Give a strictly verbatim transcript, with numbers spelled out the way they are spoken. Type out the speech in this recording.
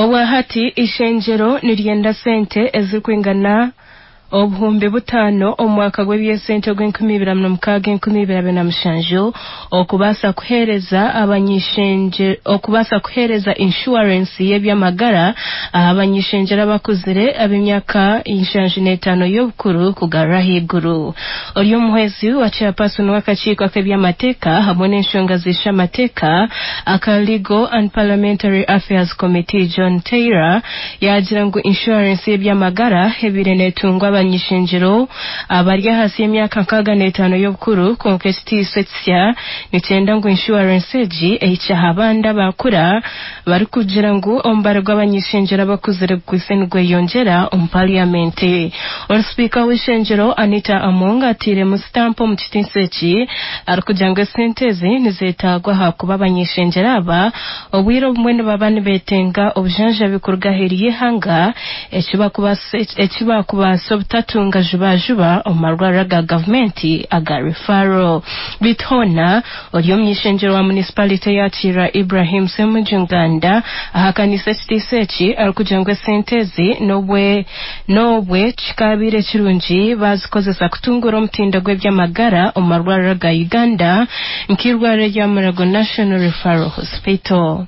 Obwahati ishengyero niryenda sente ezirikwingana obuhumbi butaano omu mwaka gw'ebyesente ogw'enkumi ibiri na mukaaga enkumi ibiri abiri na mushanju okubaasa kuheereza abanyishengyero okubaasa kuheereza inshuwarensi y'eby'amagara aha banyishengyero abakuzire ab'emyaka nshanju n'etaano y'obukuru kugarura ahaiguru. Ori omuhwezi wa chairperson w'akakiiko ak'eby'amateeka hamwe n'enshonga z'eishamateeka aka Legal and Parliamentary Affairs Committee John Taylor yaagira ngu inshuwarensi y'eby'amagara ebaire neetungwa abanyishengyero abari ahansi y'emyaka nkaaga n'etaano y'obukuru kwonka ekitiiso ekisya nikyenda ngu inshuwarensi egi ehikye aha bandi abakura barikugira ngu omubare gw'abanyishengyero abakuzire gukwaitse nigweyongyera omu parliamenti. Ori sipiika w'eishengyero Anita Among atairemu sitampu omu kitiiso eki arikugira ngu esente ezi nizeetaagwa ahakuba abanyishengyero aba obwire obumwe nibaba nibeetenga obujanjabi kuruga aheeru y'eihanga eki bakubaasa obutatunga jubajuba omu marwariro aga gavumenti aga referral. Beitu hoona ori omunyishengyero wa municipality ya Kiira Ibrahim Ssemujju Nganda ahakaniise ekitiiso eki arikugira ngu esente ezi n'obwe n'obwe kikabaire kirungi bazikozesa kutunguura omutindo gw'eby'amagara omu marwariro aga Uganda nk'eirwariro rya Mulago National Referral Hospital.